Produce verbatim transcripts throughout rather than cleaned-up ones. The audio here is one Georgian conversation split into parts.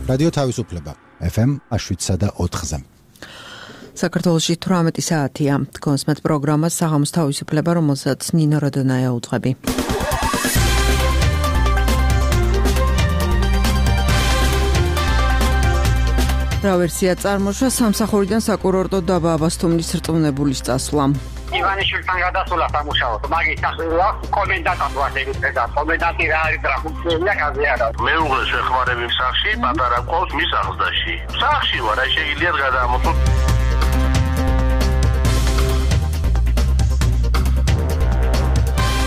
რადიო თავისუფლება ეფ ემ შვიდსა და ოთხზე. საქართველოში თვრამეტი საათია. კონსმეთ პროგრამა საღამოს თავისუფლება, რომელსაც ნინო როდონაია უძღვები. რა ვერსია წარმოშვა სამსახურიდან საკურორტო დაბა აბასთუმნის რწმუნებულის წასვლა. ივანიშვილთან გადასულა სამუშაოდ, მაგის სახელი კომენდანტად ვასეირდა და კომენდანტი რა არის და ფუნქცია გაზიარა. მეუღლე შეხმარების სახში, პატარა ყავს მის აღზრდაში. სახში ვარ, აი შეიძლება გადამოწო.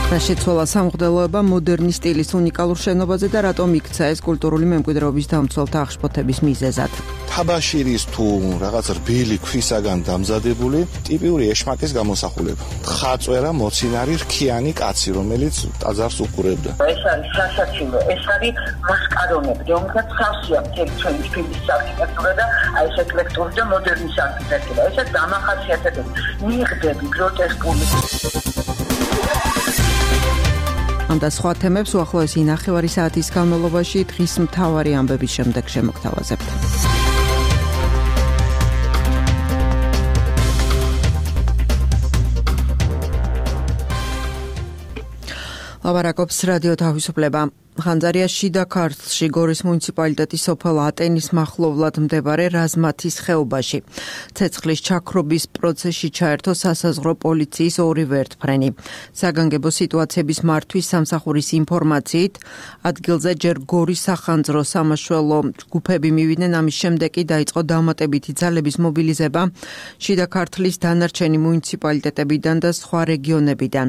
რა შეცვალა სამღვდელოება მოდერნის სტილის უნიკალურ შენობაზე და რატომ იქცა ეს კულტურული მემკვიდრეობის დამცველთა აღშფოთების მიზეზად. თაბაშირის თუ რაღაც რბილი ქვისაგან დამზადებული ტიპიური ეშმაკის გამოსახულება. ხაწვერა მოცინარი რქიანი კაცი, რომელიც ტაძარს უყურებდა. ეს არის სასაცილო, ეს არის მასკარონები, რომელსაც სავსეა მთელი ჩვენი ფილმის არქიტექტურა და აი ეს ეკლექტური და მოდერნის არქიტექტურა. ესეც დამახასიათებელი, მიღდები, გროტესკული. ამ და სხვა თემებს უახლოესი ნახევარი საათის განმავლობაში დღის მთავარი ამბების შემდეგ შემოგთავაზებთ. ლაბარაკობს რადიო თავისუფლება. ხანძარიას შიდა ქართლში გორის მუნიციპალიტეტის სოფელ ატენის მახლობლად მდებარე რაზმათის ხეობაში ცეცხლის ჩაქრობის პროცესში ჩაერთო სასაზღვრო პოლიციის ორი ვერტმფრენი. საგანგებო სიტუაციების მართვის სამსახურის ინფორმაციით ადგილზე ჯერ გორის სახანძრო სამაშველო ჯგუფები მივიდნენ, ამის შემდეგ კი დაიწყო დამატებითი ძალების მობილიზება შიდა ქართლის დანარჩენი მუნიციპალიტეტებიდან და სხვა რეგიონებიდან.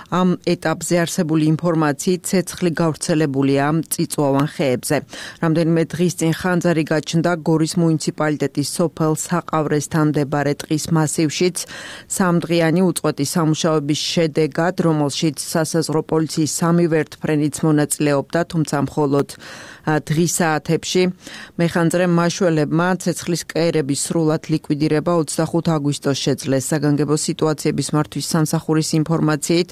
ამ ეტაპზე არსებული ინფორმაციით ცეცხლი გავრცელებული წიწვოვან ხეებზე. რამდენიმე დღის წინ ხანძარი გაჩნდა გორის მუნიციპალიტეტის სოფელ საყავრესთან მდებარე ტყის მასივშიც სამდღიანი უწყვეტი სამუშაოების შედეგად, რომელშიც სასაზღვრო პოლიციის სამი ვერტმფრენიც მონაწილეობდა, თუმცა მხოლოდ დღის საათებში მეხანძრე მაშველებმა ცეცხლის კერების სრულად ლიკვიდირება ოცდახუთ აგვისტოს შეძლეს. საგანგებო სიტუაციების მართვის სამსახურის ინფორმაციით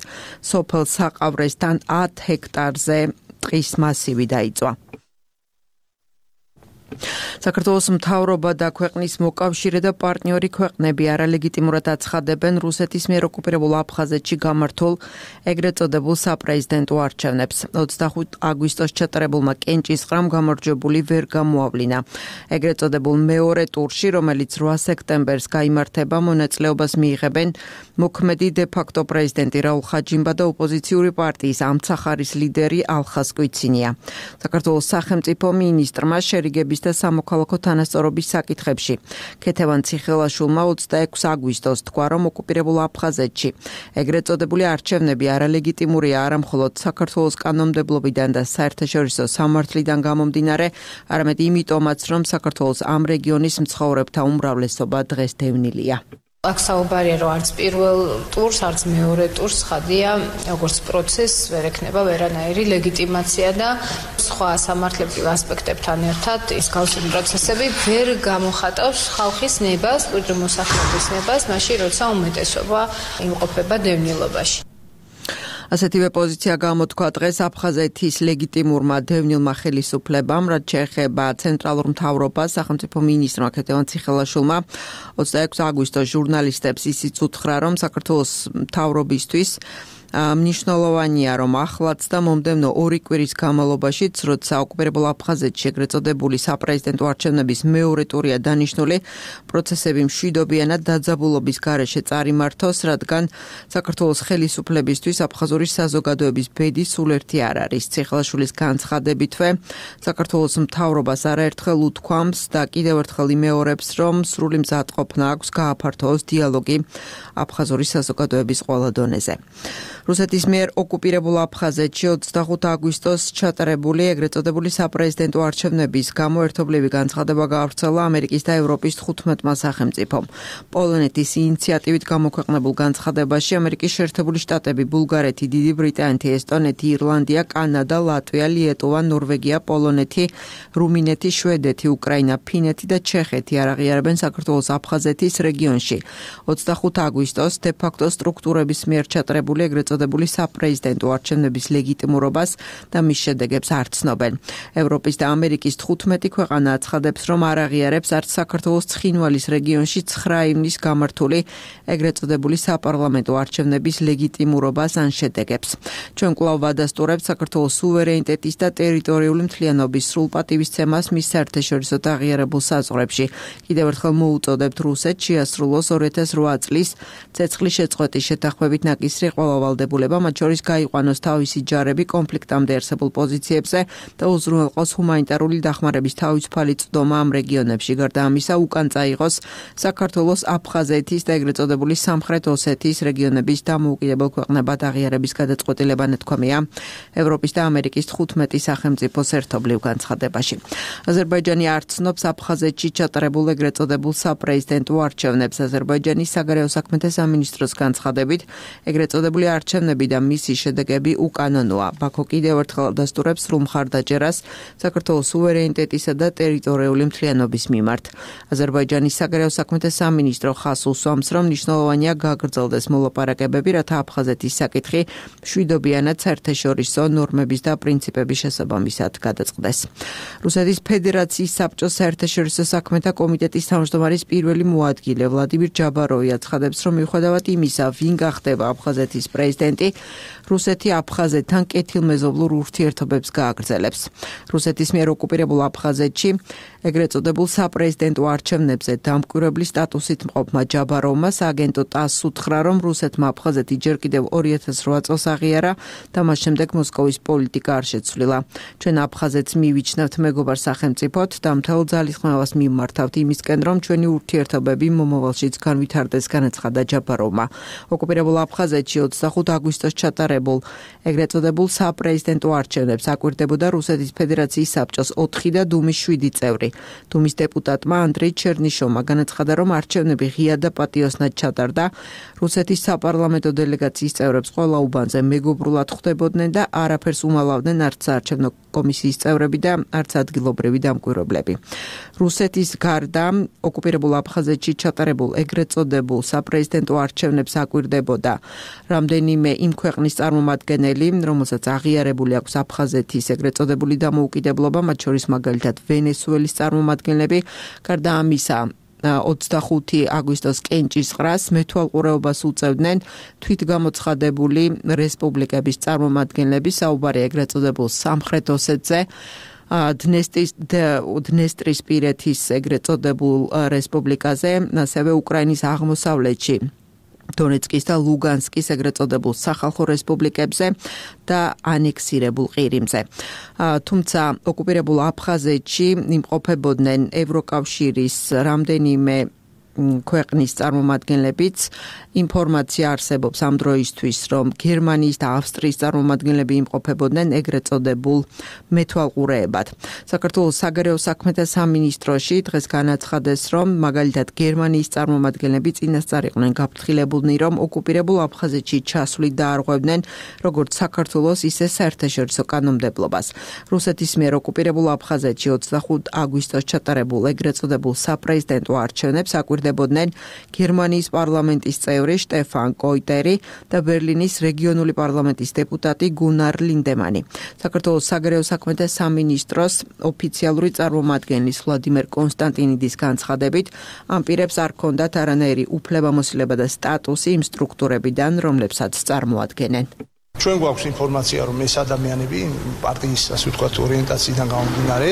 სოფელ საყავრესთან ათ ჰექტარზე ტყის მასივი დაიწვა. საქართველოს მთავრობა და ქვეყნის მოკავშირე და პარტნიორი ქვეყნები არალეგიტიმურად აცხადებენ რუსეთის მიერ ოკუპირებულ აფხაზეთში გამართულ ეგრეთ წოდებულ საპრეზიდენტო არჩევნებს. ოცდახუთ აგვისტოს ჩატარებულმა კენჭისყრამ გამარჯვებული ვერ გამოავლინა. ეგრეთ წოდებულ მეორე ტურში, რომელიც რვა სექტემბერს გაიმართება, მონაწილეობას მიიღებენ მოქმედი დე-ფაქტო პრეზიდენტი რაულ ხაჯიმბა და ოპოზიციური პარტიის ამცახარის ლიდერი ალხას კვიცინია. საქართველოს სახელმწიფო მინისტრმა შერიგების და სამოქალაქო თანასწორობის საკითხებში ქეთევან ციხელაშვილმა ოცდაექვსი აგვისტოს თქვა, რომ ოკუპირებულ აფხაზეთში ეგრეთ წოდებული არჩევნები არალეგიტიმურია არა მხოლოდ საქართველოს კანონმდებლობიდან და საერთაშორისო სამართლიდან გამომდინარე, არამედ იმიტომაც, რომ საქართველოს ამ რეგიონის მცხოვრებთა უმრავლესობა დღეს დევნილია. აქ საუბარია, რომ არც პირველ ტურს, არც მეორე ტურს ხადია, როგორც პროცესს ვერ ექნება ვერანაირი ლეგიტიმაცია და სხვა სამართლებრივ ასპექტებთან ერთად ის გავსი პროცესები ვერ გამოხატავს ხალხის ნებას, მკვიდრი მოსახლეობის ნებას, მაშინ როცა უმეტესობა იმყოფება დევნილობაში. ასეთივე პოზიცია გამოთქვა დღეს აფხაზეთის ლეგიტიმურმა დევნილმა ხელისუფლებამ, რაც შეეხება ცენტრალურ მთავრობას, სახელმწიფო მინისტრმა ქეთევან ციხელაშვილმა ოცდაექვსი აგვისტოს ჟურნალისტებს ისიც უთხრა, რომ საქართველოს მთავრობისთვის მნიშვნელოვანია, რომ ახლაც და მომდევნო ორი კვირის განმავლობაშიც, როცა ოკუპირებულ აფხაზეთში ეგრეთ წოდებული საპრეზიდენტო არჩევნების მეორე ტურია დანიშნული, პროცესები მშვიდობიანად დაძაბულობის გარეშე წარიმართოს, რადგან საქართველოს ხელისუფლებისთვის აფხაზური საზოგადოების ბედი სულ ერთი არ არის. ციხელაშვილის განცხადებითვე, საქართველოს მთავრობას არაერთხელ უთქვამს და კიდევ ერთხელ იმეორებს, რომ სრული მზადყოფნა აქვს გააფართოოს დიალოგი აფხაზური საზოგადოების ყველა დონეზე. რუსეთის მიერ ოკუპირებულ აფხაზეთში ოცდახუთ აგვისტოს ჩატარებული ეგრეთ წოდებული საპრეზიდენტო არჩევნების გამო ერთობლივი განცხადება გაავრცელა ამერიკის და ევროპის თხუთმეტმა სახელმწიფომ. პოლონეთის ინიციატივით გამოქვეყნებულ განცხადებაში ამერიკის შეერთებული შტატები, ბულგარეთი, დიდი ბრიტანეთი, ესტონეთი, ირლანდია, კანადა, ლატვია, ლიეტუვა, ნორვეგია, პოლონეთი, რუმინეთი, შვედეთი, უკრაინა, ფინეთი და ჩეხეთი არ აღიარებენ საქართველოს აფხაზეთის რეგიონში ოცდახუთ აგვისტოს დე-ფაქტო სტრუქტურების მიერ ჩატარებული ეგრეთ წოდებული საპრეზიდენტო არჩევნების ლეგიტიმურობას და მის შედეგებს არ ცნობენ. ევროპის და ამერიკის თხუთმეტი ქვეყანა აცხადებს, რომ არ აღიარებს არც საქართველოს ცხინვალის რეგიონში ცხრა ივნის გამართული ეგრეთ წოდებული საპარლამენტო არჩევნების ლეგიტიმურობას ან შედეგებს. ჩვენ კვლავ ვადასტურებთ საქართველოს სუვერენიტეტის და ტერიტორიული მთლიანობის სრულ პატივისცემას მის საერთაშორისო აღიარებულ საზღვრებში. კიდევ ერთხელ მოუწოდებთ რუსეთს შეასრულოს ორი ათას რვა წლის ცეცხლის შეწყვეტის შეთანხმებით ნაკისრი ყველა ვალდებულება, მათ შორის გაიყვანოს თავისი ჯარები კონფლიქტამდე არსებულ პოზიციებზე და უზრუნველყოს ჰუმანიტარული დახმარების თავისუფალი წვდომა ამ რეგიონებში. გარდა ამისა, უკან წაიღოს საქართველოს, აფხაზეთის და ეგრეთ წოდებული სამხრეთ ოსეთის რეგიონების დამოუკიდებელ ქვეყნებად აღიარების გადაწყვეტილება ნათქვამია ევროპის და ამერიკის თხუთმეტი სახელმწიფოს ერთობლივ განცხადებაში. აზერბაიჯანი არ ცნობს აფხაზეთში ჩატარებულ ეგრეთ წოდებულ საპრეზიდენტო არჩევნებს. აზერბაიჯანის საგარეო საქმეთა სამინისტროს განცხადებით, ეგრეთ წოდებული არჩევნები და მისი შედეგები უკანონოა. ბაქო კიდევ ერთხელ დასტურებს სრულ მხარდაჭერას საქართველოს სუვერენიტეტისა და ტერიტორიული მთლიანობის მიმართ. აზერბაიჯანის საგარეო საქმეთა სამინისტრო ხაზს უსვამს, რომ მნიშვნელოვანია გაგრძელდეს მოლაპარაკებები, რათა აფხაზეთის საკითხი მშვიდობიანად საერთაშორისო ნორმების და პრინციპების შესაბამისად გადაწყდეს. რუსეთის ფედერაციის საბჭოს საერთაშორისო საქმეთა კომიტეტის თავმჯდომარის პირველი მოადგილე ვლადიმირ ჯაბაროვი აცხადებს, რომ მიუხედავად იმისა, ვინ გახდება აფხაზეთის პრეზიდენტი, რუსეთი აფხაზეთთან კეთილმეზობლურ ურთიერთობებს გააგრძელებს. რუსეთის მიერ ოკუპირებულ აფხაზეთში ეგრეთ წოდებულ საპრეზიდენტო არჩევნებზე დამკვირვებლის სტატუსით მყოფმა ჯაბაროვმა სააგენტო ტასს უთხრა, რომ რუსეთმა აფხაზეთი ჯერ კიდევ ორი ათას რვა წელს აღიარა და მას შემდეგ მოსკოვის პოლიტიკა არ შეცვლილა. ჩვენ აფხაზეთს მივიჩნევთ მეგობარ სახელმწიფოდ და მთელ ძალისხმევას მიმართავთ იმისკენ, რომ ჩვენი ურთიერთობები მომავალშიც განვითარდეს, განაცხადა ჯაბაროვმა. ოკუპირებულ აფხაზეთში ოცდახუთ აგვისტოს ჩატარებულ ეგრეთ წოდებულ საპრეზიდენტო არჩევნებს აკვირდებოდა რუსეთის ფედერაციის საბჭოს ოთხი და დუმის შვიდი წევრი. დუმის დეპუტატმა ანდრეი ჩერნიშოვმა განაცხადა, რომ არჩევნები ღია და პატიოსნად ჩატარდა. რუსეთის საპარლამენტო დელეგაციის წევრებს ყველა უბანზე მეგობრულად ხვდებოდნენ და არაფერს უმალავდნენ არც საარჩევნო კომისიის წევრები და არც ადგილობრივი დამკვირვებლები. რუსეთის გარდა ოკუპირებულ აფხაზეთში ჩატარებულ ეგრეთ წოდებულ საპრეზიდენტო არჩევნებს აკვირდებოდა რამდენიმე იმ ქვეყნის წარმომადგენელი, რომელსაც აღიარებული აქვს აფხაზეთის ეგრეთ წოდებული დამოუკიდებლობა, მათ შორის მაგალითად ვენესუელის წარმომადგენლები. გარდა ამისა, ოცდახუთი აგვისტოს კენჭისყრას მეთვალყურეობას უწევდნენ თვითგამოცხადებული რესპუბლიკების წარმომადგენლები, საუბარი ეგრეთ წოდებულ სამხრეთ ოსეთზე, დნესტრისპირეთის ეგრეთ წოდებულ რესპუბლიკაზე, ასევე უკრაინის აღმოსავლეთში დონეცკის და ლუგანსკის ეგრეთ წოდებულ სახალხო რესპუბლიკებზე და ანექსირებულ ყირიმზე. თუმცა ოკუპირებულ აფხაზეთში იმყოფებოდნენ ევროკავშირის რამდენიმე ქვეყნის წარმომადგენლებიც. ინფორმაცია არსებობს ამ დროისთვის, რომ გერმანიის და ავსტრიის წარმომადგენლები იმყოფებოდნენ ეგრეთ წოდებულ მეთვალყურეებად. საქართველოს საგარეო საქმეთა სამინისტროში დღეს განაცხადეს, რომ მაგალითად გერმანიის წარმომადგენლები წინასწარ იყვნენ გაფრთხილებულნი, რომ ოკუპირებულ აფხაზეთში ჩასვლით დაარღვევდნენ როგორც საქართველოს, ისე საერთაშორისო კანონმდებლობას. რუსეთის მიერ ოკუპირებულ აფხაზეთში ოცდახუთ აგვისტოს ჩატარებულ ეგრეთ წოდებულ საპრეზიდენტო არჩევნებს აკვირდებოდნენ გერმანიის პარლამენტის წევრი შტეფან კოიტერი და ბერლინის რეგიონული პარლამენტის დეპუტატი გუნარ ლინდემანი. საქართველოს საგარეო საქმეთა სამინისტროს ოფიციალური წარმომადგენლის ვლადიმერ კონსტანტინიდის განცხადებით, ამ პირებს არ ჰქონდათ არანაირი უფლებამოსილება და სტატუსი იმ სტრუქტურებიდან, რომლებსაც წარმოადგენენ. ჩვენ გვაქვს ინფორმაცია, რომ ეს ადამიანები პარტიის, ასე ვთქვათ, ორიენტაციიდან გამომდინარე,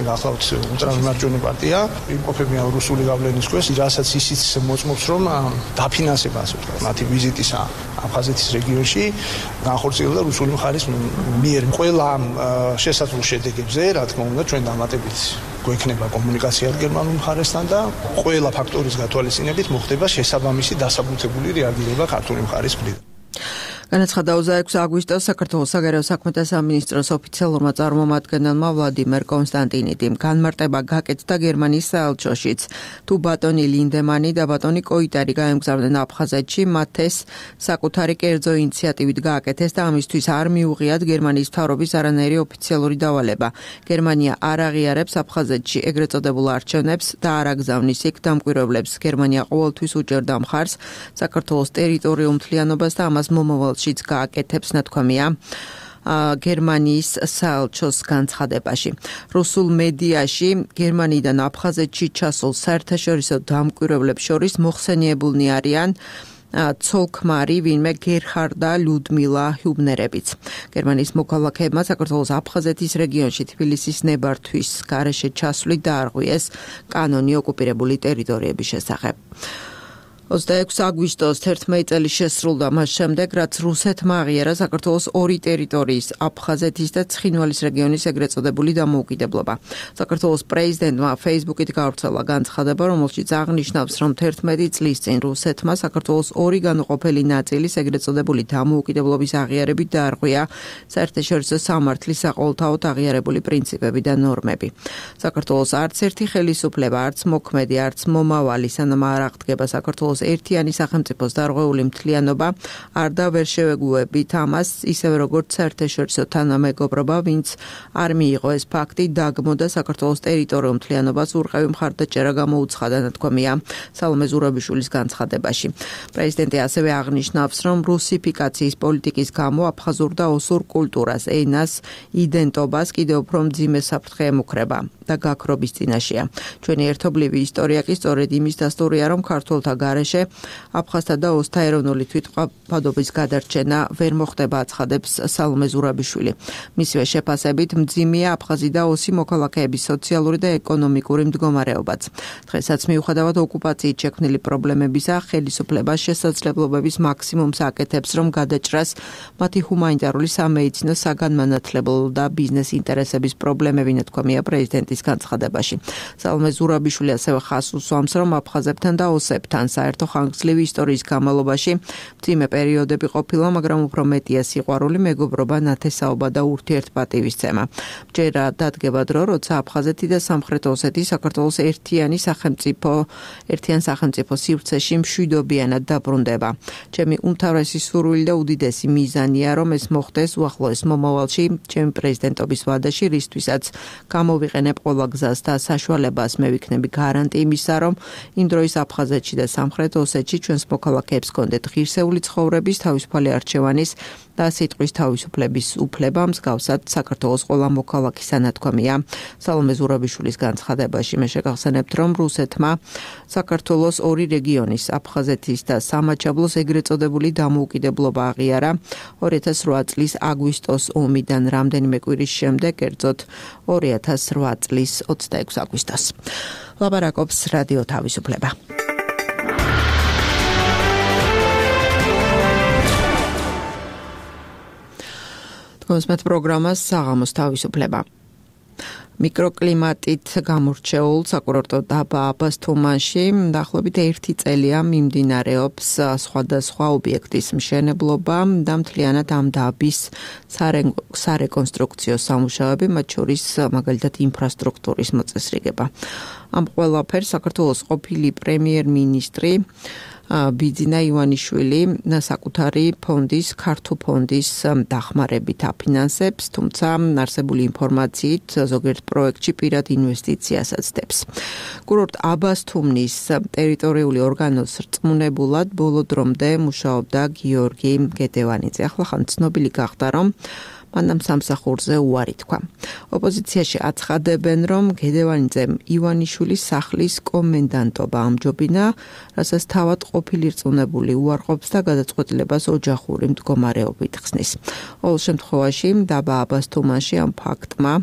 გახლავთ ულტრამარჯვენა პარტია, იმყოფებიან რუსული გავლენის ქვეშ, რასაც ისიც მოწმობს, რომ დაფინანსება, ასე ვთქვათ, მათი ვიზიტის აფხაზეთის რეგიონში განხორციელდა რუსული მხარის მიერ. ყველა შესაძლო შედეგებზე, რა თქმა უნდა, ჩვენ დამატებით გვექნება კომუნიკაცია გერმანულ მხარესთან და ყველა ფაქტორის გათვალისწინებით მოხდება შესაბამისი დასაბუთებული რეაგირება ქართული მხარის მხრიდან. განაცხადა ოცდაექვსი აგვისტოს საქართველოს საგარეო საქმეთა სამინისტროს ოფიციალურმა წარმომადგენელმა ვლადიმერ კონსტანტინიდიმ. განმარტება გაკეთდა გერმანიის საელჩოშიც. თუ ბატონი ლინდემანი და ბატონი კოიტარი გაემგზავრნენ აფხაზეთში, მათ ეს საკუთარი კერძო ინიციატივით გააკეთეს და ამისთვის არ მიუღიათ გერმანიის მთავრობის არანაირი ოფიციალური დავალება. გერმანია არ აღიარებს აფხაზეთში ეგრეთ წოდებულ არჩევნებს და არ აგზავნის იქ დამკვირვებლებს. გერმანია ყოველთვის უჭერდა მხარს საქართველოს ტერიტორიულ მთლიანობას და ამას მომავალ სოფელშიც გააკეთებს, ნათქვამია გერმანიის საელჩოს განცხადებაში. რუსულ მედიაში გერმანიიდან აფხაზეთში ჩასულ საერთაშორისო დამკვირვებლებს შორის მოხსენიებულნი არიან ცოლ-ქმარი ვინმე გერჰარდ და ლუდმილა ჰიუბნერებიც. გერმანიის მოქალაქეებმა საქართველოს აფხაზეთის რეგიონში თბილისის ნებართვის გარეშე ჩასვლით დაარღვიეს კანონი ოკუპირებული ტერიტორიების შესახებ. ოცდაექვსი აგვისტოს თერთმეტი წელი შესრულდა მას შემდეგ, რაც რუსეთმა აღიარა საქართველოს ორი ტერიტორიის, აფხაზეთის და ცხინვალის რეგიონის ეგრეთ წოდებული დამოუკიდებლობა. საქართველოს პრეზიდენტმა Facebook-ით გავრცელა განცხადება, რომელშიც აღნიშნავს, რომ თერთმეტი წლის წინ რუსეთმა საქართველოს ორი განუყოფელი ნაწილის ეგრეთ წოდებული დამოუკიდებლობის აღიარებით დაარღვია საერთაშორისო სამართლის საყოველთაოდ აღიარებული პრინციპები და ნორმები. საქართველოს არც ერთი ხელისუფლება, არც მოქმედი, არც მომავალი, სანამ არ აღდგება საქართველოს ერთიანი სახელმწიფოს დარღვეული მთლიანობა არ და ვერ შევეგუებით ამას, ისევე როგორც საერთაშორისო თანამეგობრობა, ვინც არ მიიღო ეს ფაქტი, დაგმოდა საქართველოს ტერიტორიულ მთლიანობას ურყევი მხარდაჭერა გამოუცხადა, ნათქვამია სალომე ზურაბიშვილის განცხადებაში. პრეზიდენტი ასევე აღნიშნავს, რომ რუსიფიკაციის პოლიტიკის გამო აფხაზურ და ოსურ კულტურას, ენას, იდენტობას კიდევ უფრო მძიმე საფრთხე ემუქრება და გაქრობის წინაშეა. ჩვენი ერთობლივი ისტორია კი სწორედ იმის დასტურია, რომ ქართველთა გარეშე აფხაზთა და ოსთა ეროვნული თვითმყოფადობის გადარჩენა ვერ მოხდება, აცხადებს სალომე ზურაბიშვილი. მისივე შეფასებით მძიმეა აფხაზი და ოსი მოქალაქეების სოციალური და ეკონომიკური მდგომარეობაც. დღესაც მიუხედავად ოკუპაციით შექმნილი პრობლემებისა, ხელისუფლება შესაძლებლობების მაქსიმუმს აკეთებს, რომ გადაჭრას მათი ჰუმანიტარული, სამედიცინო, საგანმანათლებლო და ბიზნეს ინტერესების პრობლემები, ნათქვამია პრეზიდენტის განცხადებაში. სალომე ზურაბიშვილი ასევე ხაზს უსვამს, რომ აფხაზებთან და ოსებთან საერთო ხანგრძლივი ისტორიის განმავლობაში მძიმე პერიოდები ყოფილა, მაგრამ უფრო მეტია სიყვარული, მეგობრობა, ნათესაობა და ურთიერთპატივისცემა. ჯერა დადგება დრო, როცა აფხაზეთი და სამხრეთ ოსეთი საქართველოს ერთიანი სახელმწიფო, ერთიან სახელმწიფო სივრცეში მშვიდობიანად დაბრუნდება. ჩემი უმთავრესი სურვილი და უდიდესი მიზანია, რომ ეს მოხდეს უახლოეს მომავალში, ჩემი პრეზიდენტობის ვადაში, რისთვისაც გამოვიყენებ ყველა გზას და საშუალებას, მე ვიქნები გარანტი იმისა, რომ იმ დროის აფხაზეთში და სამხრეთ ოსეთში ჩვენს მოქალაქეებს კონდეთ ღირსეული ცხოვრების, თავისუფალი არჩევანის და სიტყვის თავისუფლების უფლება, მსგავსად საქართველოს ყველა მოქალაქისა, ნათქვამია სალომე ზურაბიშვილის განცხადებაში. მე შეგახსენებთ, რომ რუსეთმა საქართველოს ორი რეგიონის, აფხაზეთის და სამაჩაბლოს ეგრეთ წოდებული დამოუკიდებლობა აღიარა ორი ათას რვა წლის აგვისტოს ომიდან რამდენიმე კვირის შემდეგ, კერძოდ ორი ათას რვა წლის ოცდაექვსი აგვისტოს. ლაპარაკობს რადიო თავისუფლება. კონსმეთ პროგრამას საღამოს თავისუფლება. მიკროკლიმატით გამორჩეულ საკურორტო დაბა აბასთუმანში დაახლოებით ერთი წელია მიმდინარეობს სხვადასხვა ობიექტის მშენებლობა და მთლიანად ამ დაბის სარეკონსტრუქციო სამუშაოები, მათ შორის მაგალითად ინფრასტრუქტურის მოწესრიგება. ამ ყველაფერს საქართველოს ყოფილი პრემიერ-მინისტრი ბიძინა ივანიშვილი საკუთარი ფონდის, ქართო ფონდის დახმარებით აფინანსებს, თუმცა არსებული ინფორმაციით ზოგიერთ პროექტში პირად ინვესტიციასაც დებს. კურორტ აბასთუმნის ტერიტორიული ორგანოს რწმუნებულად ბოლო დრომდე მუშაობდა გიორგი გედევანიძე. ახლა ხან ცნობილი გახდა, რომ მანამ სამსახურზე უარი თქვა. ოპოზიციაში აცხადებენ, რომ გედევანიძემ ივანიშვილის სახლის კომენდანტობა ამჯობინა, რასაც თავად ყოფილი რწმუნებული უარყოფს და გადაწყვეტილებას ოჯახური მდგომარეობით ხსნის. ყოველ შემთხვევაში დაბა აბასთუმანში ამ ფაქტმა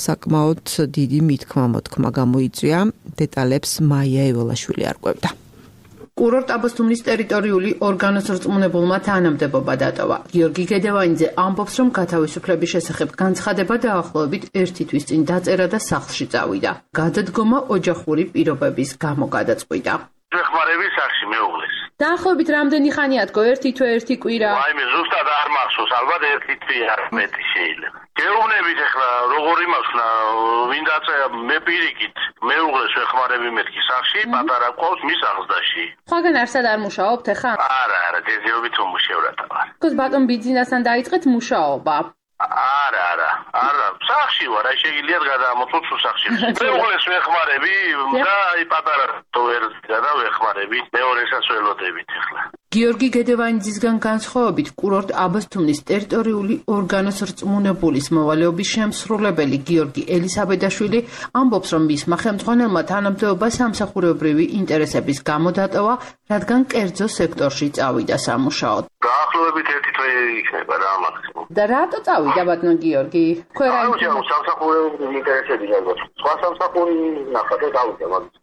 საკმაოდ დიდი მithქმა-მოთქმა გამოიწვია. დეტალებს მაია ეველაშვილი არკვევდა. კურორტ აბასთუმნის ტერიტორიული ორგანოს რწმუნებულმა თანამდებობა დატოვა. გიორგი გედევანიძე ამბობს, რომ გათავისუფლების შესახებ განცხადება დაახლოებით ერთი თვის წინ დაწერა და სახლში წავიდა. გადადგომა ოჯახური პირობების გამო გადაწყვიტა. ეხმარების სახში მეუღლეს. დაახლოებით რამდენი ხანია თქო, ერთი თვე, ერთი კვირა? აი მე ზუსტად არ მახსოვს, ალბათ ერთი თვე არ მეტი შეიძლება. გეუბნებით ახლა როგორი მაქვს, ვინ დაწერა მე პირიქით, მეუღლეს ეხმარები მეთქი სახში, პატარა ყავს მის აღზრდაში. სხვაგან არსად არ მუშაობთ ახლა? არა, არა, დეზიობით უმუშევრად ვარ. თქოს ბატონ ბიძინასთან დაიწყეთ მუშაობა. არა, არა, არა, სახში ვარ, აი შეგიძლიათ გადაამოწმოთ სახში. მეუღლეს ვეხმარები და აი პატარა თოვერს გადავეხმარები, მეორესაც ველოდებით ახლა. გიორგი გედევანიძისგან განსხვავებით, კურორტ აბასთუმნის ტერიტორიული ორგანოს რწმუნებულის მოვალეობის შემსრულებელი გიორგი ელისაბედაშვილი ამბობს, რომ მისმა ხელმძღვანელმა თანამდებობა სამსახურებრივი ინტერესების გამო დატოვა, რადგან კერძო სექტორში წავიდა სამუშაოდ. დაახლოებით ერთი თვე იქნება რა მაქსიმუმ. და რატო წავიდა ბატონ გიორგი? ანუ სამსახურებრივი ინტერესები ალბათ. სხვა სამსახური ნახა და დავიდა მაგის.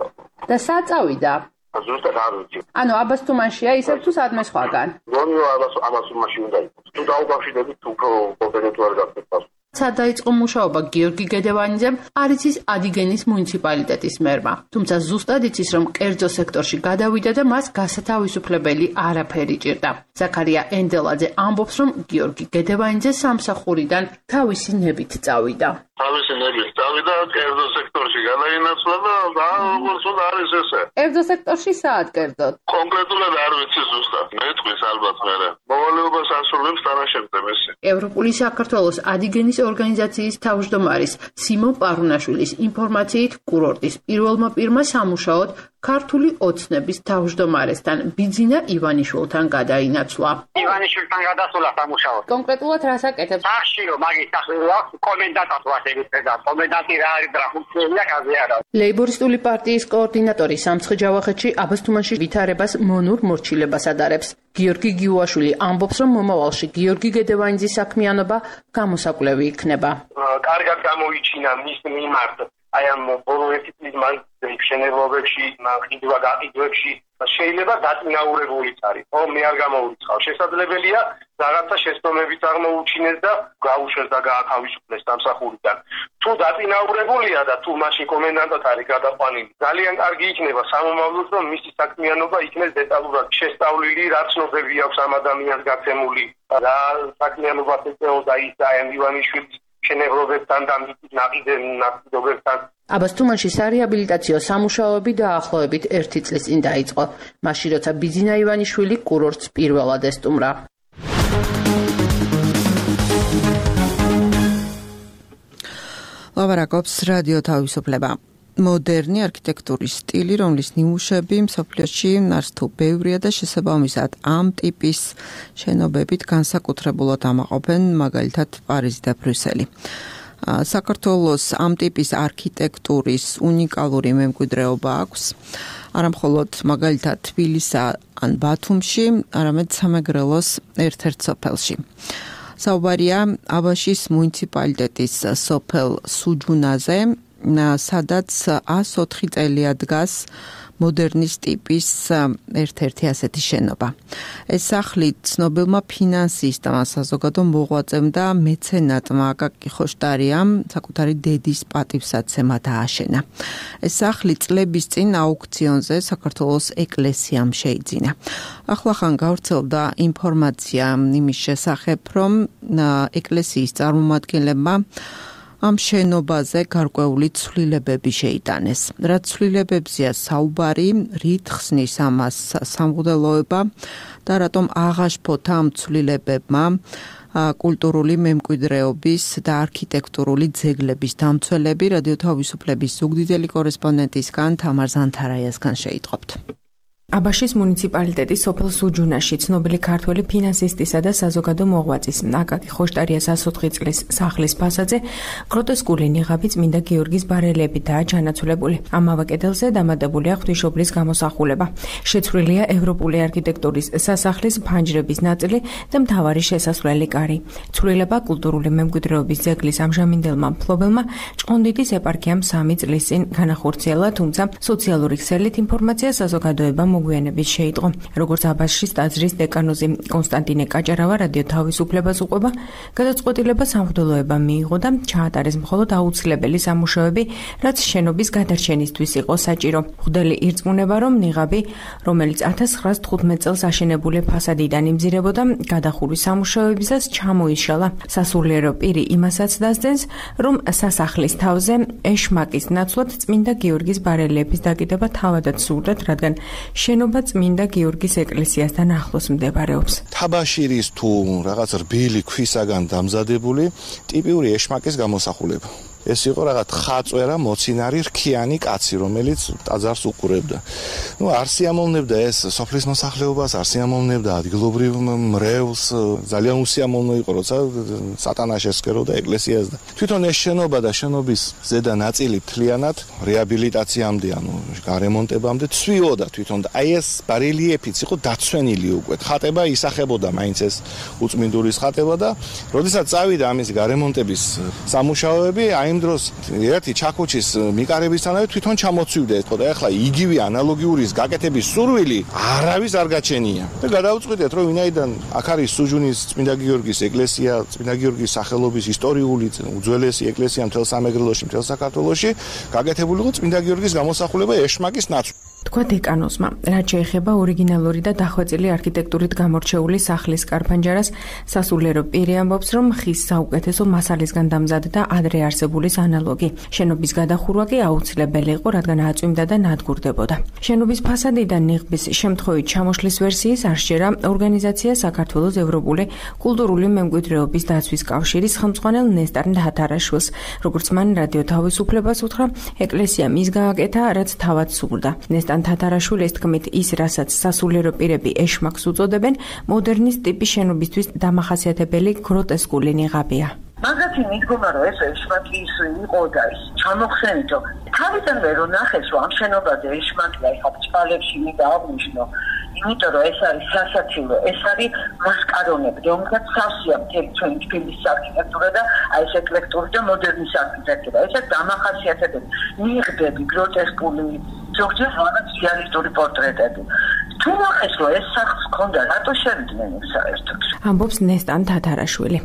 და სად წავიდა? ზუსტად არ ვიცი. ანუ აბასთუმანშია ისევ თუ სადმე სხვაგან? გონიო აბასთუმანში უნდა იყოს. თუ დაუკავშირდებით უფრო კონკრეტულად არ გახსოვს. სად დაიწყო მუშაობა გიორგი გედევანიძემ, არ იცის ადიგენის მუნიციპალიტეტის მერმა. თუმცა ზუსტად იცის, რომ კერძო სექტორში გადავიდა და მას გასათავისუფლებელი არაფერი ჭირდა. ზაქარია ენდელაძე ამბობს, რომ გიორგი გედევანიძე სამსახურიდან თავისი ნებით წავიდა. თავისი ნებით წავიდა კერძო სექტორში გადაინაცვლა და როგორც უნდა არის ესე. კერძო სექტორში საათ კერძოდ? კონკრეტულად არ ვიცი ზუსტად. მეტყვის ალბათ მერე. მოვალეობას ასრულებს თანაშემწე მესი. ევროპული საქართველოს ადიგენის ორგანიზაციის თავმჯდომარის სიმონ პარუნაშვილის ინფორმაციით, კურორტის პირველმა პირმა სამუშაოდ ქართული ოცნების თავმჯდომარესთან ბიძინა ივანიშვილთან გადაინაცვლა. ივანიშვილთან გადასულა სამუშაოდ. კონკრეტულად რას აკეთებს? სახში რომ მაგის სახელი აქვს, კომენდანტად ვასებით და კომენდანტი რა არის და ფუნქცია კაზე არა. ლეიბორისტული პარტიის კოორდინატორი სამცხე ჯავახეთში აბასთუმანში ვითარებას მონურ მორჩილებას ადარებს. გიორგი გიუაშვილი ამბობს, რომ მომავალში გიორგი გედევანიძის საქმიანობა გამოსაკვლევი იქნება. კარგად გამოიჩინა მის მიმართ აი ამ ბოლო ერთი წლის მანძილზე მშენებლობებში, მანქანა გაყიდვებში შეიძლება დაწინაურებულიც არის. ო მე არ გამოურიცხავ. შესაძლებელია რაღაცა შეცდომებით აღმოუჩინეს და გაუშვეს და გაათავისუფლეს სამსახურიდან. თუ დაწინაურებულია და თუ მაშინ კომენდანტად არის გადაყვანილი, ძალიან კარგი იქნება სამომავლოდ, რომ მისი საქმიანობა იქნეს დეტალურად შესწავლილი, რა ცნობები აქვს ამ ადამიანს გაცემული, რა საქმიანობას ეწეოდა ის აი ივანიშვილის მშენებლობებთან და მის ნაკიდებებთან. აბასთუმანში სარეაბილიტაციო სამუშაოები დაახლოებით ერთი წლის წინ დაიწყო, მაშინ როცა ბიძინა ივანიშვილი კურორტს პირველად ესტუმრა. ლაპარაკობს რადიო თავისუფლება. მოდერნი არქიტექტურის სტილი, რომლის ნიმუშები მსოფლიოში ნარსთუ ბევრია და შესაბამისად ამ ტიპის შენობებით განსაკუთრებულად ამაყობენ მაგალითად პარიზი და ბრიუსელი. საქართველოს ამ ტიპის არქიტექტურის უნიკალური მემკვიდრეობა აქვს. არა მხოლოდ მაგალითად თბილისსა ან ბათუმში, არამედ სამეგრელოს ერთ-ერთ სოფელში. საუბარია აბაშის მუნიციპალიტეტის სოფელ სუჯუნაზე, სადაც ას ოთხი წელია დგას მოდერნის ტიპის ერთ-ერთი ასეთი შენობა. ეს სახლი ცნობილმა ფინანსისტმა, საზოგადო მოღვაწემ და მეცენატმა აკაკი ხოშტარიამ საკუთარი დედის პატივსაცემად ააშენა. ეს სახლი წლების წინ აუქციონზე საქართველოს ეკლესიამ შეიძინა. ახლახან გავრცელდა ინფორმაცია იმის შესახებ, რომ ეკლესიის წარმომადგენლებმა ამ შენობაზე გარკვეული ცვლილებები შეიტანეს. რაც ცვლილებებზეა საუბარი, რით ხსნის ამას სამღვდელოება და რატომ აღაშფოთ ამ ცვლილებებმა კულტურული მემკვიდრეობის და არქიტექტურული ძეგლების დამცველები. რადიო თავისუფლების ზუგდიდელი კორესპონდენტისგან თამარ ზანთარაიასგან შეიტყობთ. აბაშის მუნიციპალიტეტის სოფელ სუჯუნაში ცნობილი ქართველი ფინანსისტისა და საზოგადო მოღვაწის აკაკი ხოშტარიას ას ოთხი წლის სახლის ფასადზე გროტესკული ნიღაბი წმინდა გიორგის ბარელებითაა ჩანაცვლებული. ამავე კედელზე დამატებულია ღვთისმშობლის გამოსახულება. შეცვლილია ევროპული არქიტექტურის სასახლის ფანჯრების ნაწილი და მთავარი შესასვლელი კარი. ცვლილება კულტურული მემკვიდრეობის ძეგლის ამჟამინდელმა მფლობელმა ჭყონდიდის ეპარქიამ სამი წლის წინ განახორციელა, თუმცა სოციალური ქსელით ინფორმაცია საზოგადოება მოგვიანებით შეიტყო. როგორც აბაშის ტაძრის დეკანოზი კონსტანტინე კაჭარავა რადიო თავისუფლებას უყვება, გადაწყვეტილება სამღვდელოებამ მიიღო და ჩაატარეს მხოლოდ აუცილებელი სამუშაოები, რაც შენობის გადარჩენისთვის იყო საჭირო. მღვდელი ირწმუნება, რომ ნიღაბი, რომელიც ათას ცხრაას თხუთმეტ წელს აშენებული ფასადიდან იმძირებოდა, გადახურვის სამუშაოებისას ჩამოიშალა. სასულიერო პირი იმასაც დასძენს, რომ სასახლის თავზე ეშმაკის ნაცვლად წმინდა გიორგის ბარელიეფის დაკიდება თავადაც სურდათ, რადგან შენობა წმინდა გიორგის ეკლესიასთან ახლოს მდებარეობს. თაბაშირის თუ რაღაც რბილი ქვისაგან დამზადებული ტიპიური ეშმაკის გამოსახულება. ეს იყო რაღაც ხაწვერა მოცინარი რქიანი კაცი, რომელიც ტაძარს უყურებდა. ნუ არ სიამოვნებდა ეს სოფლის მოსახლეობას, არ სიამოვნებდა ადგილობრივ მრევლს, ძალიან უსიამოვნო იყო, როცა სატანას ესკეროდა ეკლესიას და თვითონ ეს შენობა და შენობის ზედა ნაწილი მთლიანად რეაბილიტაციამდე, ანუ გარემონტებამდე ცვიოდა თვითონ და აი ეს ბარელიეფიც იყო დაცვენილი უკვე. ხატება ისახებოდა მაინც ეს უწმინდურის ხატება და როდესაც წავიდა ამის გარემონტების სამუშაოები, აი იმ დროს ერთი ჩაქუჩის მიკარებისთანავე თვითონ ჩამოცვივდა ეს და ახლა იგივე ანალოგიურის გაკეთების სურვილი არავის არ გაჩენია და გადავწყვიტეთ რომ ვინაიდან აქ არის სუჯუნის წმინდა გიორგის ეკლესია, წმინდა გიორგის სახელობის ისტორიული უძველესი ეკლესია მთელ სამეგრელოში, მთელ საქართველოში, გაკეთებული იყო წმინდა გიორგის გამოსახულება ეშმაკის ნაცვლად. თქვა დეკანოზმა, რაც შეეხება ორიგინალური და დახვეწილი არქიტექტურით გამორჩეული სახლის კარფანჯარას, სასულიერო პირი ამბობს, რომ ხის საუკეთესო მასალისგან დამზადდა ადრე არსებულის ანალოგი. შენობის გადახურვა კი აუცილებელი იყო, რადგან აწვიმდა და ნადგურდებოდა. შენობის ფასადიდან ნიღბის შემთხვევით ჩამოშლის ვერსიის არ შეერა ორგანიზაცია საქართველოს ევროპული კულტურული მემკვიდრეობის დაცვის კავშირის ხელმძღვანელ ნესტარ თათარაშვილს. როგორც მან რადიო თავისუფლებას უთხრა, ეკლესია მის გააკეთა, რაც თავად სურდა. ნესტარ თათარაშვილის თქმით, ის, რასაც სასულიერო პირები ეშმაკს უწოდებენ, მოდერნის ტიპის შენობისთვის დამახასიათებელი გროტესკული ნიღაბია. მაგათი მიდგომა რომ ეს ეშმაკი ის იყო და ის ჩამოხსენითო თავიდანვე რომ ნახეს რომ ამ შენობაზე ეშმაკია ეხლა ჭალებში მინდა აღნიშნო იმიტომ რომ ეს არის სასაცილო ეს არის მასკარონები რომელსაც სავსეა მთელი ჩვენი თბილისის არქიტექტურა და აი ეს ეკლექტური და მოდერნის არქიტექტურა ესეც დამახასიათებელი ნიღბები გროტესკული ზოგჯერ რაღაც რეალისტური პორტრეტები თუ ნახეს რომ ეს სახლს ჰქონდა რატო შევიდნენ ეს საერთოდ ამბობს ნესტარ თათარაშვილი.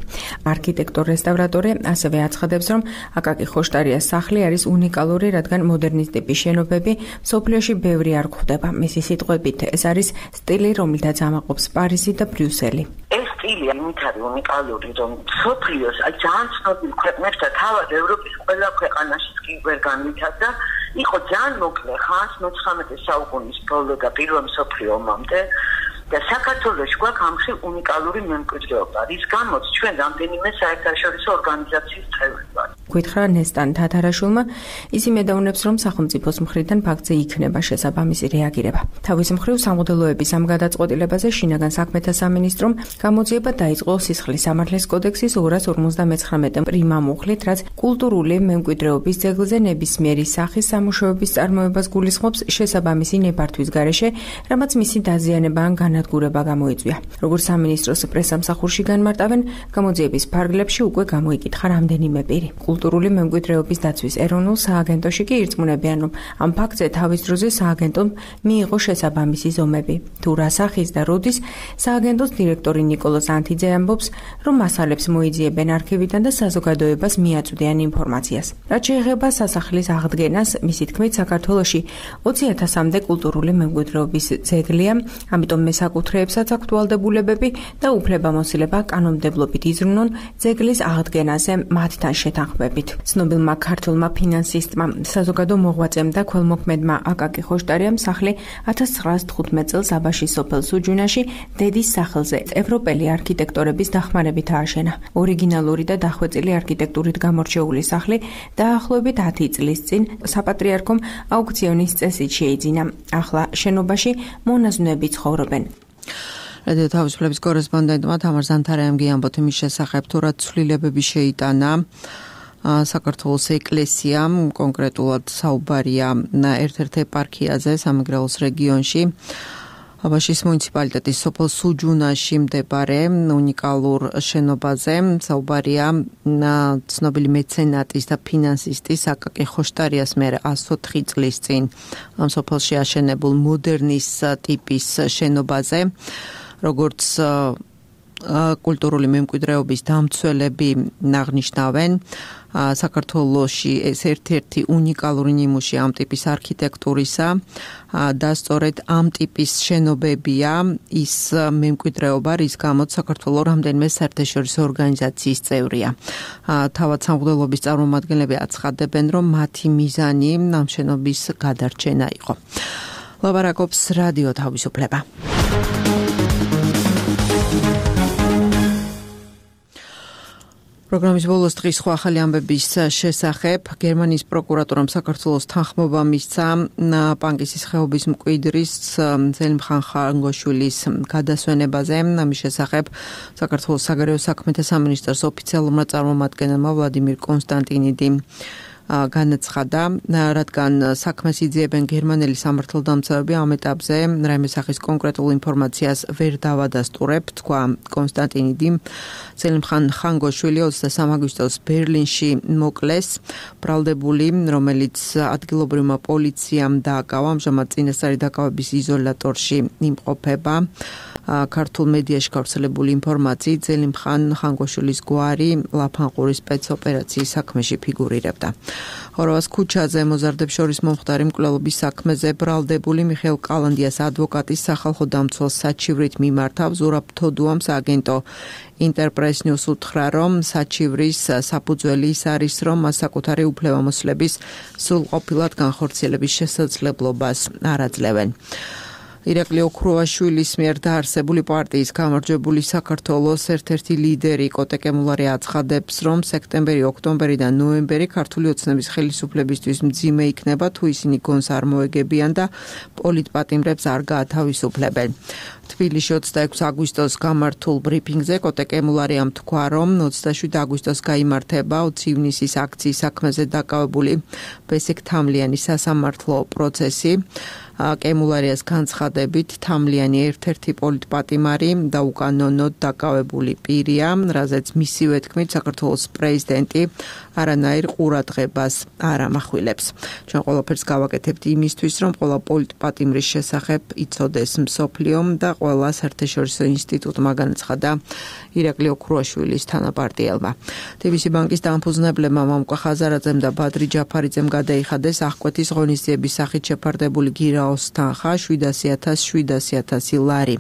არქიტექტორ-რესტავრატორი ასევე აცხადებს, რომ აკაკი ხოშტარიას სახლი არის უნიკალური, რადგან მოდერნის ტიპის შენობები მსოფლიოში ბევრი არ გვხვდება. მისი სიტყვებით, ეს არის სტილი, რომელთაც ამაყობს პარიზი და ბრიუსელი. ეს სტილი ამით არის უნიკალური, რომ მსოფლიოს აი ძალიან ცნობილ ქვეყნებთან, თავად ევროპის ყველა ქვეყანაშიც კი ვერ განვითარდა. იყო ძალიან მოკლე ხანს, მეცხრამეტე საუკუნის ბოლო და პირველ მსოფლიო ომამდე. და საქართველოში გვაქვს ამხი უნიკალური მემკვიდრეობა, რის გამოც ჩვენ რამდენიმე საერთაშორისო ორგანიზაციის წევრი ვართ. გითხრა ნესტარ თათარაშვილმა, ისი მედაუნებს, რომ სახელმწიფოს მხრიდან ფაქტზე იქნება შესაბამისი რეაგირება. თავის მხრივ სამღვდელოების ამ გადაწყვეტილებაზე შინაგან საქმეთა სამინისტრომ გამოძიება დაიწყო სისხლის სამართლის კოდექსის ორას ორმოცდამეცხრამეტე პრიმა მუხლით, რაც კულტურული მემკვიდრეობის ძეგლზე ნებისმიერი სახის სამუშაოების წარმოებას გულისხმობს შესაბამისი ნებართვის გარეშე, რამაც მისი დაზიანება ან განადგურება გამოიწვია. როგორც სამინისტროს პრესამსახურში განმარტავენ, გამოძიების ფარგლებში უკვე გამოიკითხა რამდენიმე პირი. კულტურული მემკვიდრეობის დაცვის ეროვნულ სააგენტოში კი ირწმუნებიან, რომ ამ ფაქტზე თავის დროზე სააგენტომ მიიღო შესაბამისი ზომები. თუ რა სახის და როდის სააგენტოს დირექტორი ნიკოლოზ ანთიძე ამბობს, რომ მასალებს მოიძიებენ არქივიდან და საზოგადოებას მიაწვდიან ინფორმაციას. რაც შეეხება სასახლის აღდგენას, მისი თქმით, საქართველოში ოცი ათასამდე კულტურული მემკვიდრეობის ძეგლია, ამიტომ მესაკუთრეებსაც აქვთ ვალდებულებები და უფლებამოსილება კანონმდებლობით იზრუნონ ძეგლის აღდგენაზე მათთან შეთანხმებით. ცნობილმა ქართველმა ფინანსისტმა, საზოგადო მოღვაწემ და ქველმოქმედმა აკაკი ხოშტარიამ სახლი ათას ცხრაას თხუთმეტ წელს აბაშის სოფელ სუჯუნაში დედის სახელზე ევროპელი არქიტექტორების დახმარებით ააშენა. ორიგინალური და დახვეწილი არქიტექტურით გამორჩეული სახლი დაახლოებით ათი წლის წინ საპატრიარქომ აუქციონის წესით შეიძინა. ახლა შენობაში მონაზვნები ცხოვრობენ. რადიო თავისუფლების კორესპონდენტმა თამარ ზანთარაიმ გიამბოთ იმის შესახებ, თუ რა ცვლილებები შეიტანა საქართველოს ეკლესიამ, კონკრეტულად საუბარია ერთ-ერთ ეპარქიაზე სამეგრელოს რეგიონში. აბაშის მუნიციპალიტეტის სოფელ სუჯუნაში მდებარე უნიკალურ შენობაზე საუბარია ცნობილი მეცენატის და ფინანსისტის აკაკი ხოშტარიას მერე ასოთხი წლის წინ ამ სოფელში აშენებულ მოდერნის ტიპის შენობაზე, როგორც კულტურული მემკვიდრეობის დამცველები აღნიშნავენ, საქართველოში ეს ერთ-ერთი უნიკალური ნიმუში ამ ტიპის არქიტექტურისა და სწორედ ამ ტიპის შენობებია ის მემკვიდრეობა, რის გამოც საქართველო რამდენიმე საერთაშორისო ორგანიზაციის წევრია. თავად სამღვდელოების წარმომადგენლები აცხადებენ, რომ მათი მიზანი ამ შენობის გადარჩენა იყო. ლაბარაკობს რადიო თავისუფლება. პროგრამის ბოლოს დღის სხვა ახალი ამბების შესახებ გერმანიის პროკურატურამ საქართველოს თანხმობა მისცა პანკისის ხეობის მკვიდრის ზელიმხან ხანგოშვილის გადასვენებაზე. ამის შესახებ საქართველოს საგარეო საქმეთა სამინისტროს ოფიციალურმა წარმომადგენელმა ვლადიმირ კონსტანტინიდი განაცხადა, რადგან საქმეს იძიებენ გერმანელი სამართალდამცავები, ამ ეტაპზე რაიმე სახის კონკრეტულ ინფორმაციას ვერ დავადასტურებ, თქვა კონსტანტინიდიმ. ზელიმხან ხანგოშვილი ოცდასამი აგვისტოს ბერლინში მოკლეს, ბრალდებული, რომელიც ადგილობრივმა პოლიციამ დააკავა, ამჟამად წინასწარი დაკავების იზოლატორში იმყოფება. ქართულ მედიაში გავრცელებული ინფორმაციით ზელიმხან ხანგოშვილის გვარი ლაფანყურის სპეცოპერაციის საქმეში ფიგურირებდა. ხორვას ქუჩაზე მოზარდებს შორის მომხდარი მკვლელობის საქმეზე ბრალდებული მიხეილ კალანდიას ადვოკატის სახალხო დამცველს საჩივრით მიმართავ. ზურაბ თოდუამ სააგენტო ინტერპრეს ნიუს უთხრა, რომ საჩივრის საფუძველი ის არის, რომ მას საკუთარი უფლებამოსილების სრულყოფილად განხორციელების შესაძლებლობას არ აძლევენ. ირაკლი ოქრუაშვილის მიერ დაარსებული პარტიის გამარჯვებული საქართველოს ერთ-ერთი ლიდერი კოტე კემულარი აცხადებს, რომ სექტემბერი, ოქტომბერი და ნოემბერი ქართული ოცნების ხელისუფლებისთვის მძიმე იქნება, თუ ისინი გონს არ მოეგებიან და პოლიტპატიმრებს არ გაათავისუფლებენ. თბილისში ოცდაექვსი აგვისტოს გამართულ ბრიფინგზე კოტე კემულარიამ თქვა, რომ ოცდაშვიდი აგვისტოს გაიმართება ოცი ივნისის აქციის საქმეზე დაკავებული ბესიკ თამლიანის სასამართლო პროცესი. კემულარიას განცხადებით, თამლიანი ერთ-ერთი პოლიტპატიმარი და უკანონოდ დაკავებული პირია, რაზეც მისივე თქმით საქართველოს პრეზიდენტი არანაირ ყურადღებას არ ამახვილებს. ჩვენ ყველაფერს გავაკეთებთ იმისთვის, რომ ყველა პოლიტპატიმრის შესახებ იცოდეს მსოფლიომ და ყველა საერთაშორისო ინსტიტუტმა, განაცხადა ირაკლი ოქრუაშვილის თანაპარტიელმა. ტი ბი სი ბანკის დამფუძნებლებმა მამუკა ხაზარაძემ და ბადრი ჯაფარიძემ გადაიხადეს აღკვეთის ღონისძიების სახით შეფარდებული გირაოს თანხა შვიდასი ათასი შვიდასი ათასი ლარი.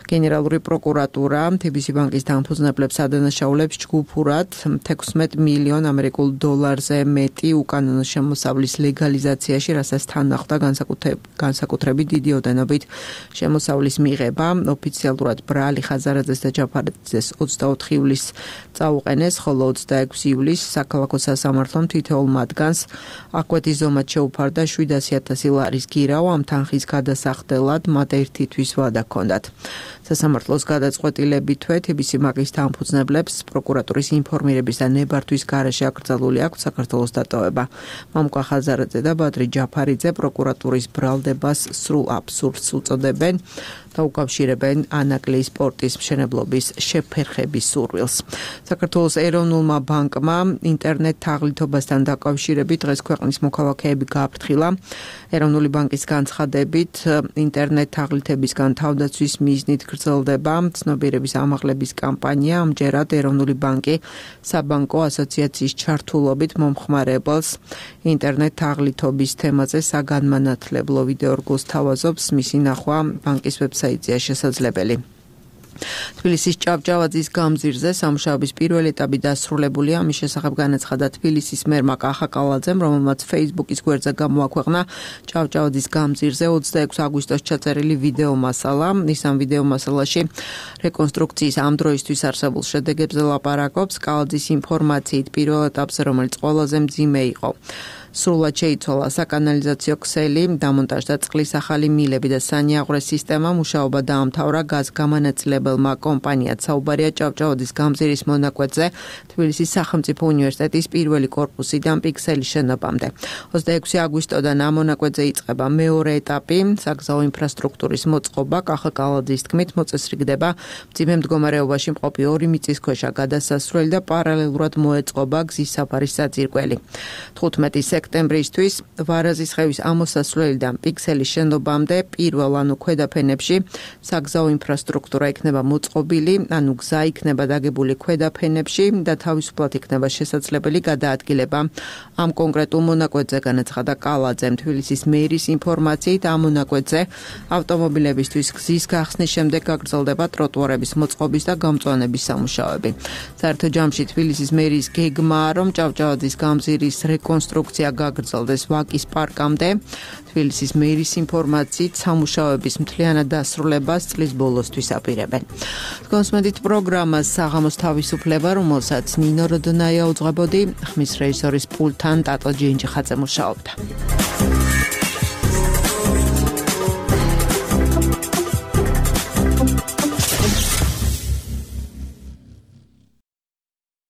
გენერალური პროკურატურა ტი ბი სი ბანკის დამფუძნებლებს ადანაშაულებს ჯგუფურად თექვსმეტ მილიონ ამერიკულ დოლარზე მეტი უკანონო შემოსავლის ლეგალიზაციაში, რასაც თან ახლდა განსაკუთრებით დიდი ოდენობით შემოსავლის მიღება. ოფიციალურად ბრალი ხაზარაძეს და ჯაფარიძეს ოცდაოთხი ივლისს წაუყენეს, ხოლო ოცდაექვსი ივლისს საქალაქო სასამართლომ თითოეულ მათგანს აღკვეთის ზომად შეუფარდა შვიდასი ათასი ლარის გირაო. ამ თანხის გადასახდელად მათ ერთი თვის ვადა ჰქონდათ. სასამართლოს გადაწყვეტილებითვე ტი ბი სი ბანკის დამფუძნებლებს პროკურატურის ინფორმირების და ნებართვის გარეშე აკრძალული აქვს საქართველოს დატოვება. მამუკა ხაზარაძე და ბადრი ჯაფარიძე პროკურატურის ბრალდებას სრულ აბსურდს უწოდებენ და უკავშირებენ ანაკლიის სპორტის მშენებლობის შეფერხების სურვილს. საქართველოს ეროვნულმა ბანკმა ინტერნეტ თაღლითობასთან დაკავშირებით დღეს ქვეყნის მოქალაქეები გააფრთხილა. ეროვნული ბანკის განცხადებით, ინტერნეტ თაღლითებისგან თავდაცვის მიზნით გრძელდება ცნობიერების ამაღლების კამპანია. ამჯერად ეროვნული ბანკი საბანკო ასოციაციის ჩართულობით მომხმარებელს ინტერნეტ თაღლითობის თემაზე საგანმანათლებლო ვიდეორგულს თავაზობს. მისი ნახვა ბანკის ვებსაიტზეა შესაძლებელი. თბილისის ჭავჭავაძის გამზირზე სამუშაობის პირველი ეტაპი დასრულებულია. ამის შესახებ განაცხადა თბილისის მერმა კახა კალაძემ, რომელმაც Facebook-ის გვერდზე გამოაქვეყნა ჭავჭავაძის გამზირზე ოცდაექვსი აგვისტოს ჩაწერილი ვიდეო მასალა. ის ამ ვიდეო მასალაში რეკონსტრუქციის ამ დროისთვის არსებულ შედეგებზე ლაპარაკობს. კალაძის ინფორმაციით პირველ ეტაპზე, რომელიც ყველაზე მძიმე იყო, სრულად შეიცვალა საკანალიზაციო ქსელი, დამონტაჟდა წყლის ახალი მილები და სანიაღვრე სისტემა. მუშაობა დაამთავრა გაზგამანაწილებელმა კომპანიად. საუბარია ჭავჭავაძის გამზირის მონაკვეთზე თბილისის სახელმწიფო უნივერსიტეტის პირველი კორპუსიდან პიქსელის შენობამდე. ოცდაექვსი აგვისტოდან ამ მონაკვეთზე იწყება მეორე ეტაპი, საგზაო ინფრასტრუქტურის მოწყობა. კახა კალაძის თქმით, მოწესრიგდება მძიმე მდგომარეობაში მყოფი ორი მიწისქვეშა გადასასვლელი და პარალელურად მოეწყობა გზის საფარის საძირკველი. თხუთმეტი სექტემბრისთვის ვარაზის ხევის ამოსასვლელიდან პიქსელის შენობამდე პირველ ანუ ქვედაფენებში საგზაო ინფრასტრუქტურა იქნება მოწყობილი, ანუ გზა იქნება დაგებული ქვედაფენებში და თავისუფლად იქნება შესაძლებელი გადაადგილება ამ კონკრეტულ მონაკვეთზე, განაცხადა კალაძემ. თბილისის მერის ინფორმაციით, ამ მონაკვეთზე ავტომობილებისთვის გზის გახსნის შემდეგ გაგრძელდება ტროტუარების მოწყობის და გამწვანების სამუშაოები. საერთო ჯამში თბილისის მერის გეგმაა, რომ ჭავჭავაძის გამზირის რეკონსტრუქცია პროცესია გაგრძელდეს ვაკის პარკამდე. თბილისის მერის ინფორმაციით სამუშაოების მთლიანად დასრულებას წლის ბოლოსთვის აპირებენ. კონსმედით პროგრამას საღამოს თავისუფლება, რომელსაც ნინო როდონაია უძღვებოდი, ხმის რეჟისორის პულტთან ტატო ჯინჯიხაძე მუშაობდა.